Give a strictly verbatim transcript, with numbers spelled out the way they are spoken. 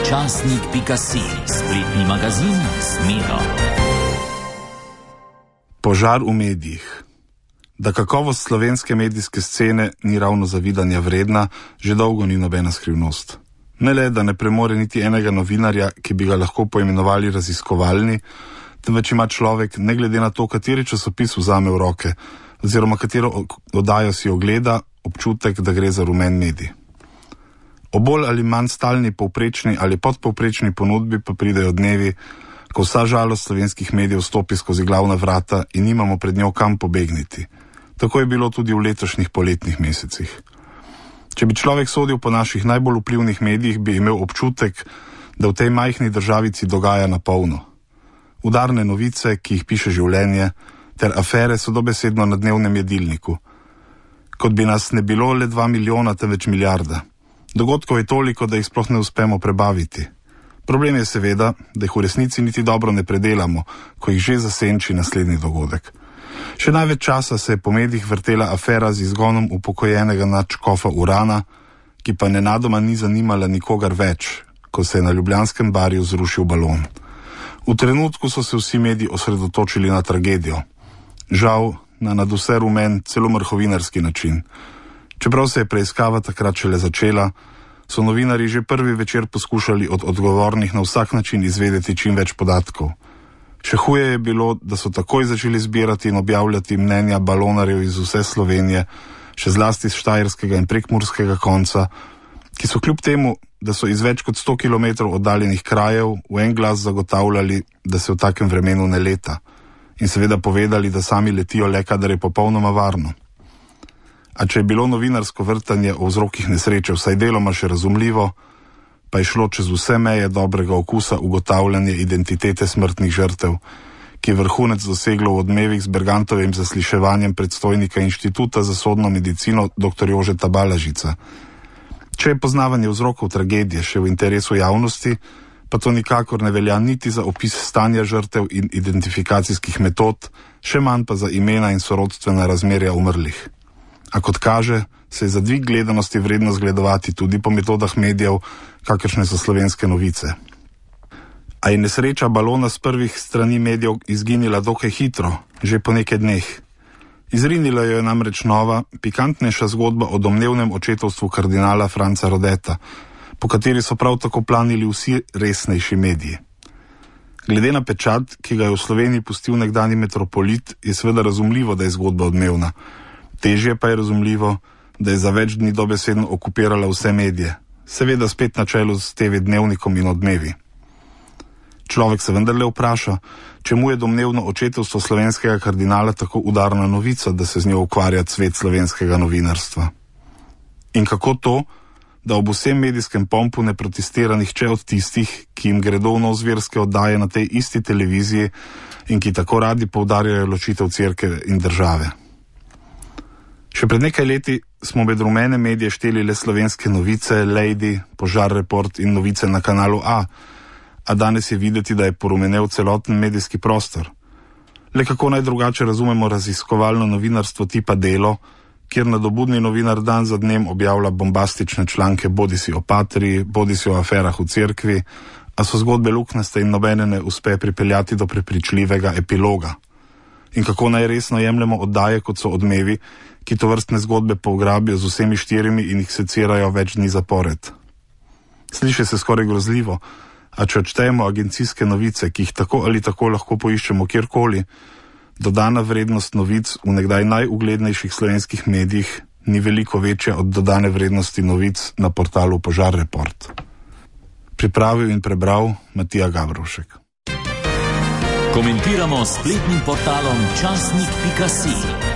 časnik pika si, spletni magazin s Miro. Požar v medijih. Da kakovost slovenske medijske scene ni ravno zavidanja vredna, že dolgo ni nobena skrivnost. Ne le, da ne premore niti enega novinarja, ki bi ga lahko poimenovali raziskovalni, temveč ima človek, ne glede na to, kateri časopis vzame v roke, oziroma katero oddajo si ogleda, občutek, da gre za rumen medij. O bolj ali manj stalni povprečni ali podpovprečni ponudbi pa pridejo dnevi, ko vsa žalost slovenskih medijev stopi skozi glavna vrata in nimamo pred njo kam pobegniti. Tako je bilo tudi v letošnjih poletnih mesecih. Če bi človek sodil po naših najbolj vplivnih medijih, bi imel občutek, da v tej majhni državici dogaja na polno. Udarne novice, ki jih piše življenje, ter afere so dobesedno na dnevnem jedilniku. Kot bi nas ne bilo le dva milijona, temveč milijarda. Dogodkov je toliko, da jih sploh ne uspemo prebaviti. Problem je seveda, da jih v resnici niti dobro ne predelamo, ko jih že zasenči naslednji dogodek. Še največ časa se je po medijih vrtela afera z izgonom upokojenega nadškofa Urana, ki pa nenadoma ni zanimala nikogar več, ko se je na ljubljanskem barju zrušil balon. V trenutku so se vsi mediji osredotočili na tragedijo. Žal, na nadvse rumen, celo mrhovinarski način. Čeprav se je preiskava takrat šele začela, so novinarji že prvi večer poskušali od odgovornih na vsak način izvedeti čim več podatkov. Še huje je bilo, da so takoj začeli zbirati in objavljati mnenja balonarjev iz vse Slovenije, še zlasti z štajerskega in prekmurskega konca, ki so kljub temu, da so iz več kot sto kilometrov oddaljenih krajev v en glas zagotavljali, da se v takem vremenu ne leta, in seveda povedali, da sami letijo le, kadar je popolnoma varno. A če je bilo novinarsko vrtanje o vzrokih nesreče vsaj deloma še razumljivo, pa je šlo čez vse meje dobrega okusa ugotavljanje identitete smrtnih žrtev, ki je vrhunec doseglo v odmevih z Bergantovim zasliševanjem predstojnika Inštituta za sodno medicino dr. Jožeta Balažica. Če je poznavanje vzrokov tragedije še v interesu javnosti, pa to nikakor ne velja niti za opis stanja žrtev in identifikacijskih metod, še manj pa za imena in sorodstvena razmerja umrlih. A kot kaže, se je za dvig gledanosti vredno zgledovati tudi po metodah medijev, kakršne so Slovenske novice. A je nesreča balona s prvih strani medijev izginila dokaj hitro, že po nekaj dneh. Izrinila jo je namreč nova, pikantnejša zgodba o domnevnem očetovstvu kardinala Franca Rodeta, po kateri so prav tako planili vsi resnejši mediji. Glede na pečat, ki ga je v Sloveniji pustil nekdani metropolit, je seveda razumljivo, da je zgodba odmevna. Težje pa je razumljivo, da je za več dni dobesedno okupirala vse medije, seveda spet na čelu s te ve dnevnikom in odmevi. Človek se vendarle vpraša, čemu je domnevno očetovstvo slovenskega kardinala tako udarna novica, da se z njo ukvarja cvet slovenskega novinarstva. In kako to, da ob vsem medijskem pompu ne protestira nihče od tistih, ki jim gredo v nozverske oddaje na tej isti televiziji in ki tako radi poudarjajo ločitev cerkve in države. Še pred nekaj leti smo med rumene medije šteli le Slovenske novice, Lady, Požar Report in novice na kanalu A, a danes je videti, da je porumenel celoten medijski prostor. Le kako naj drugače razumemo raziskovalno novinarstvo tipa Delo, kjer nadobudni novinar dan za dnem objavlja bombastične članke bodisi o patriji, bodisi o aferah v cerkvi, a so zgodbe luknjaste in nobene ne uspe pripeljati do prepričljivega epiloga. In kako naj resno jemljemo oddaje, kot so Odmevi, ki to vrstne zgodbe pougrabijo z vsemi štirimi in jih secirajo več dni zapored. Sliši se skoraj grozljivo, a če odštejemo agencijske novice, ki jih tako ali tako lahko poiščemo kjerkoli, dodana vrednost novic v nekdaj najuglednejših slovenskih medijih ni veliko večja od dodane vrednosti novic na portalu Požar Report. Pripravil in prebral Matija Gabrovšek. Komentiramo s spletnim portalom časnik pika si.